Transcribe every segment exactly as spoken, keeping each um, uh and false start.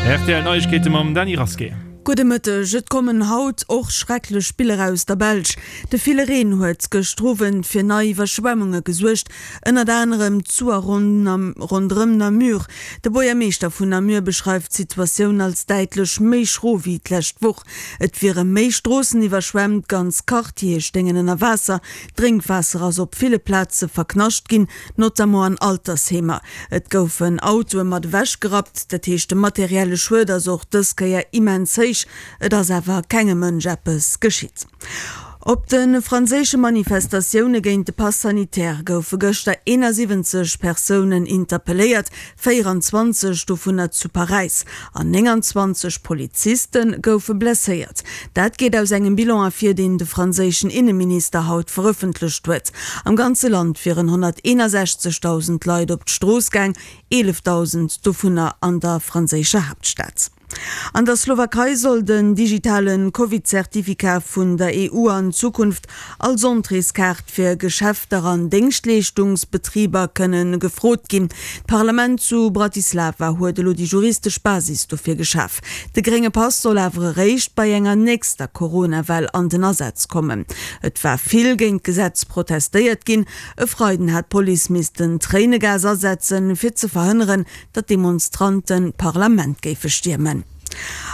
Rtl Neiegkeete mam Dany Rasqué. Gudde Mëtteg. Et kommen haut och schrecklech Biller aus der Belsch. De ville Reen huet gëschter Owend fir nei Iwwerschwemmunge gesuergt, ënnert anerem zu a ronderëm Namur. De Buergermeeschter vun Namur beschreift d'Situatioun als däitlech méi schro wéi d'lescht Woch. Et wiere méi Stroossen iwwerschwemmt, ganz Quartiere stéingen ënner Waasser, D'Drénkwaasser ass op ville Plaze verknascht ginn, notamment an Altersheemer. Et goufen Autoe mat ewech gerappt, dat heescht de materielle Schued ass och dës Kéier immens héich. Et ass awer kengem Mënsch eppes geschitt. Op de franséische Manifestatioune géint de Pass sanitaire goufe gëschter eenasiwwenzeg Persounen interpelléiert, véieranzwanzeg dovunner zu Paräis, an nénganzwanzeg Poliziste goufe blesséiert. Dat geet aus engem Bilan ervir, deen de franséischen Inneminister haut verëffentlecht huet. Am ganze Land wieren honnerteenasechzegdausend Leit op d'Strooss gaang, eelefdausend dovunner an der franséischer Haaptstad. An der Slowakei soll den digitale Covid-Certificat vun der E U an Zukunft als Entréeskaart fir Geschäfter an Déngschtleeschtungsbetriber kënne gefrot ginn. D'Parlament zu Bratislava huet elo déi juristesch Basis dofir geschaf. De grénge Pass soll awer eréischt bei enger nächster Corona-Well an den Asaz kommen. Et war vill géint d'Gesetz protestéiert ginn. E Freiden hat d'Police missten Tréinegas asetzen, fir ze verhënneren, datt Demonstranten d'Parlament géife stiermen.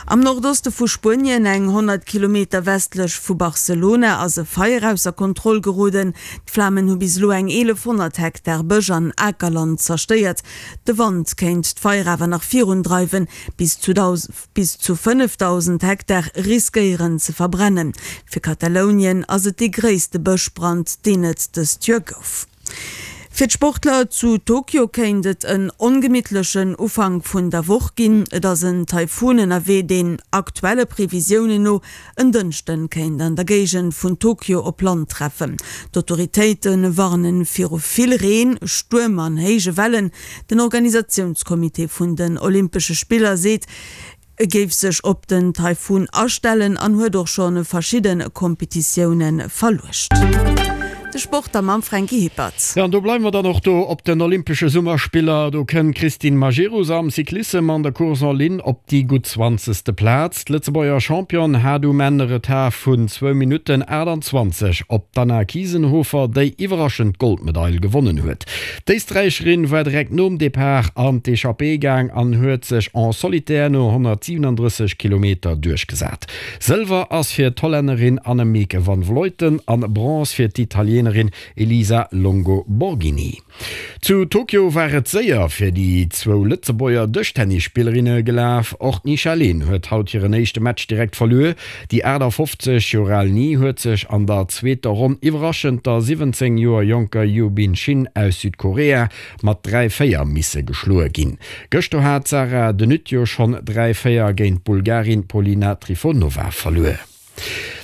Am Nordoste vu Spuenien, eng honnert Kilometer westlech vu Barcelona, ass e Feier ausser Kontroll geroden. D'Flamen hu bis elo eng eelefhonnert Hektar Bësch an Akerland zerstéiert. De Wand kéint d'Feier awer nach virundreiwen. Bis zu bis zu fënnefdausend Hektar riskéieren ze verbrennen. Fir Katalounien ass et dee gréisste Bëschbrand, deen et dëst Joer gouf. Fir d'Sportler zu Tokio kéint et en ongemittlechen Ufank vun der Woch ginn. Et ass en Taifun ënnerwee, deen aktuelle Previsiounen no en Dënschden kéint an der Géigend vun Tokio op Land treffen. D'Autoritéite warne viru vill Reen, Stuerm an héije Wellen. Den Organisatiounscomité vun den Olympesche Spiller seet, e géif sech op den Taifun astellen an huet och scho verschidde Kompetitioune verluecht. De Sport da mam Franky Hippert. Jo, an do bleiwe mer dann och do op den Olympesche Summerspiller. Do kënnt d'Christine Majerus am Cyclissem an der Course en ligne op déi gutt zwanzegste Plaz. D'Lëtzebuerger Championne hat um Enn e Retard vun zwou Minutten aachtanzwanzeg op d'Anna Kiesenhofer, déi iwwerraschend d'Goldmedail gewonnen huet. D'Éisträicherin war direkt nom Depart an d'Echappée gaang an huet sech en solitaire no honnertsiwenundrësseg Kilometer duerchgesat. Sëlwer ass fir d'Hollännerin Annemiek van Vleuten an Bronze fir d'Italienerin Elisa Longo Borghini. Zu Tokio war et séier fir déi zwou Lëtzebuerger Dëschtennisspillerinne gelaf. Och d'Nisha Lehn huet haut hiren éischte Match direkt verluer. Déi aachtafoffzeg Joer al Ni huet sech an der zweeter Ronn iwwerraschend der siwwenzéng Joer jonker Yubin Shin aus Südkorea mat dräi, véier misse geschloe ginn. Gëschter hat d'Sarah De Nutte jo schonn dräi, véier géint d'Bulgarin Polina Trifonova verluer.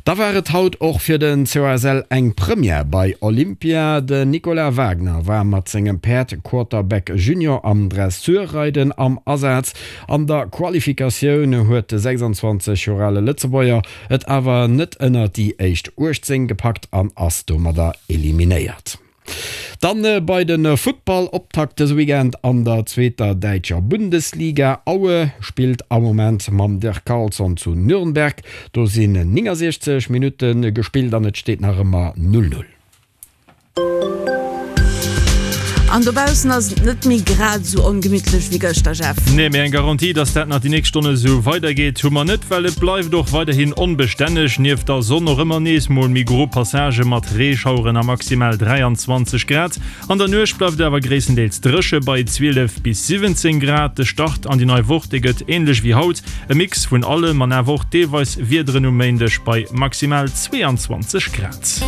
Da war et haut och fir den C O S L eng Première bei Olympia. Den Nicolas Wagner war mat sengem Päerd Quarterback Junior am Dressurreiden am Asaz. An der Qualifikatioun huet de sechsanzwanzeg Joer ale Lëtzebuerger et awer net ënner déi éischt uechtzéng gepackt an ass domadder eliminéiert. Dann bei de Futtball-Optakt dëse Weekend an der zweeter däitscher Bundesliga. Aue spillt am Moment mam Dirk Carlson zu Nürnberg. Do sinn néngasiechzeg Minutte gespillt an et steet nach ëmmer null null. An dobaussen ass et net méi grad esou ongemittlech wéi gëschter, Jeff. Nee, mee eng Garantie, dass dat nach déi nächst Stonne esou weidergeet, hu mer net, well et bleift och weiderhin onbestänneg. Nieft der Sonn och ëmmer nees mol méi gro Passagë mat Reeschaueren a maximal dräianzwanzeg Grad. An der Nuecht bleift et awer gréisstendeels dréche bei zwielef bis siwwenzéng Grad. De Start an déi nei Woch, dee gëtt änlech wéi haut, e Mix vun allem an awer och deelweis Wiederen um Méindeg bei maximal zweeanzwanzeg Grad.